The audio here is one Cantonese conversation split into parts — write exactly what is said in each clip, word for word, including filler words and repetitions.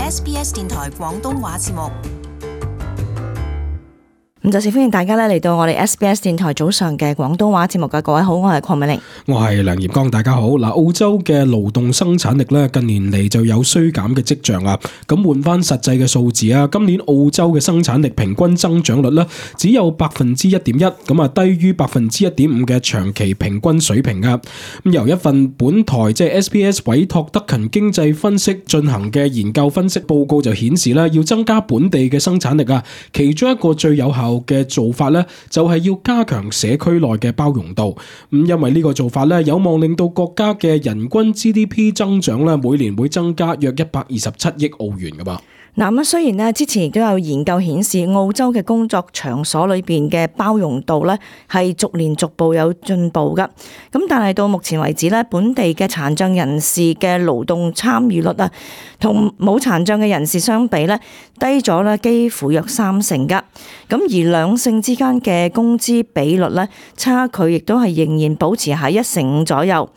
S B S 電台廣東話節目。咁就係歡迎大家咧嚟到我哋 S B S 電台早上嘅廣東話節目嘅。各位好，我係鄺美玲，我係梁業剛，大家好。嗱，澳洲嘅勞動生產力咧近年嚟就有衰減嘅跡象啊。咁換翻實際嘅數字啊，今年澳洲嘅生產力平均增長率咧只有百分之一點一，咁啊低於百分之一點五嘅長期平均水平啊。咁由一份本台即係 S B S 委託德勤經濟分析進行嘅研究分析報告就顯示咧，要增加本地嘅生產力啊，其中一個最有效嘅做法咧，就係要加強社區內嘅包容度。咁因為呢個做法咧，有望令到國家嘅人均 G D P 增長咧，每年會增加約一百二十七億澳元噶噃。嗱咁雖然咧之前亦都有研究顯示澳洲嘅工作場所裏邊嘅包容度咧係逐年逐步有進步噶，咁但係到目前為止咧，本地嘅殘障人士嘅勞動參與率啊，同冇殘障嘅人士相比咧低咗咧幾乎約三成噶，咁而兩性之間嘅工資比率咧差距亦都係仍然保持喺一成五左右。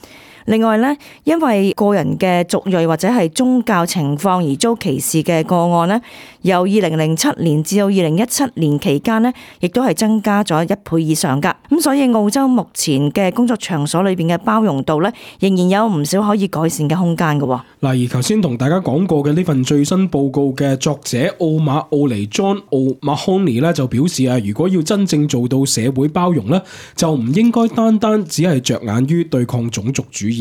另外咧，因為個人嘅族裔或者係宗教情況而遭歧視嘅個案咧，由二零零七年至到二零一七年期間咧，亦都係增加咗一倍以上噶。咁所以澳洲目前嘅工作場所裏邊嘅包容度咧，仍然有唔少可以改善嘅空間嘅。嗱，而頭先同大家講過嘅呢份最新報告嘅作者奧馬奧尼 John O'Mahony 咧就表示啊，如果要真正做到社會包容咧，就唔應該單單只係着眼於對抗種族主義。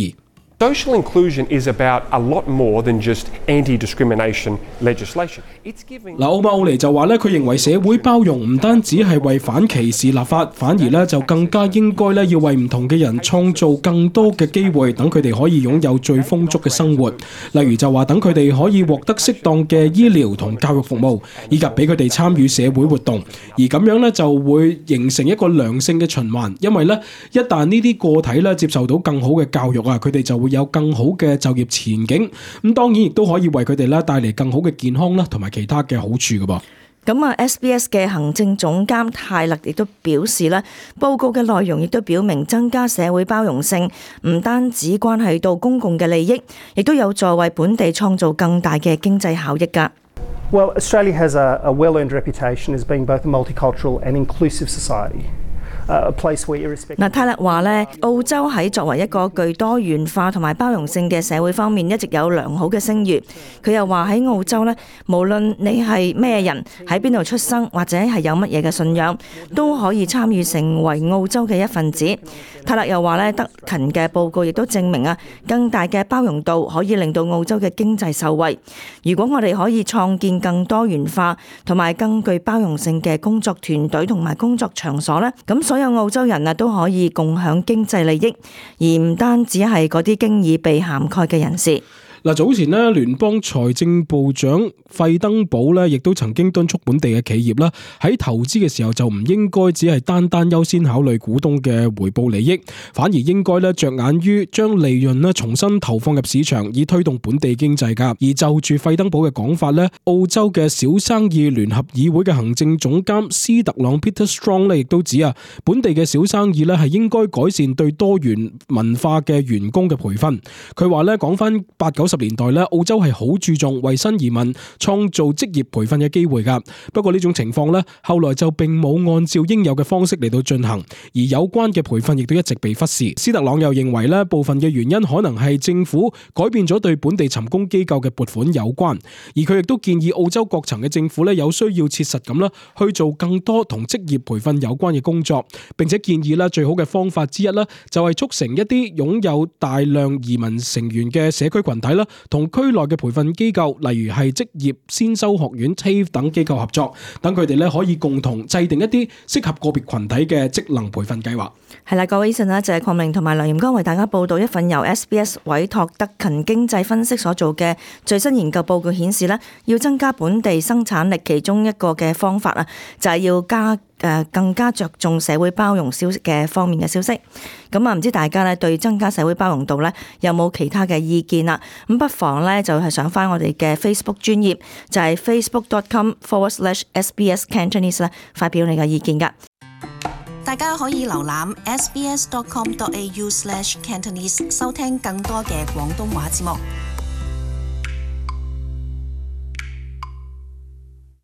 Social inclusion is about a lot more than just anti-discrimination legislation. It's giving 嗱，奧馬奧尼就話咧，佢認為社會包容唔單止係為反歧視立法，反而咧就更加應該咧要為唔同嘅人創造更多嘅機會，等佢哋可以擁有最豐足嘅生活。例如就話等佢哋可以獲得適當嘅醫療同教育服務，以及俾佢哋參與社會活動。而咁樣咧就會形成一個良性嘅循環，因為咧一旦呢啲個體咧接受到更好嘅教育啊，佢哋就會有更好嘅就業前景，咁當然亦都可以為佢哋咧帶嚟更好嘅健康啦，同埋其他嘅好處㗎噃。咁啊 S B S 嘅行政總監泰勒亦都表示咧，報告嘅內容亦都表明增加社會包容性唔單止關係到公共嘅利益，亦都有助為本地創造更大嘅經濟效益㗎。Well, Australia has a, a well-earned reputation as being both a multicultural and inclusive society. 嗱，泰勒話咧，澳洲喺作為一個具多元化同埋包容性嘅社會方面，一直有良好嘅聲譽。佢又話喺澳洲咧，無論你係咩人，喺邊度出生或者係有乜嘢嘅信仰，都可以參與成為澳洲嘅一份子。泰勒又話咧，德勤嘅報告亦都證明啊，更大嘅包容度可以令到澳洲嘅經濟受惠。如果我哋可以創建更多元化同埋更具包容性嘅工作團隊同埋工作場所咧，咁所有澳洲人啊都可以共享經濟利益，而唔單止係嗰啲經已被涵蓋嘅人士。嗱，早前咧，聯邦財政部長費登堡咧，亦都曾經敦促本地嘅企業啦，喺投資嘅時候就唔應該只係單單優先考慮股東嘅回報利益，反而應該咧着眼於將利潤咧重新投放入市場，以推動本地經濟㗎。而就住費登堡嘅講法咧，澳洲嘅小生意聯合議會嘅行政總監斯特朗 Peter Strong 咧，亦都指啊，本地嘅小生意咧係應該改善對多元文化嘅員工嘅培訓。佢話咧，講翻八九十年代咧，澳洲係好注重為新移民創造職業培訓嘅機會噶。不過呢種情況咧，後來就並冇按照應有嘅方式嚟到進行，而有關嘅培訓亦都一直被忽視。斯特朗又認為咧，部分嘅原因可能係政府改變咗對本地尋工機構嘅撥款有關，而佢亦都建議澳洲各層嘅政府咧有需要切實咁啦去做更多同職業培訓有關嘅工作，並且建議咧最好嘅方法之一咧就係促成一啲擁有大量移民成員嘅社區群體啦，同區內嘅培訓機構，例如係職業先修學院 T A F E 等機構合作，等佢哋咧可以共同制定一啲適合個別群體嘅職能培訓計劃。係啦，各位，以上呢就係鄺明同埋梁炎剛為大家報道一份由 S B S 委託德勤經濟分析所做嘅最新研究報告顯示呢，要增加本地生產力，其中一個嘅方法啊，就係要加誒更加着重社會包容消息嘅方面嘅消息。咁啊，唔知大家咧對增加社會包容度咧有冇其他嘅意見啦？咁不妨咧就係上翻我哋嘅 Facebook 專頁，就係 facebook.com forward slash SBS Cantonese 咧發表你嘅意見噶。大家可以瀏覽 sbs.com.au slash Cantonese 收聽更多嘅廣東話節目。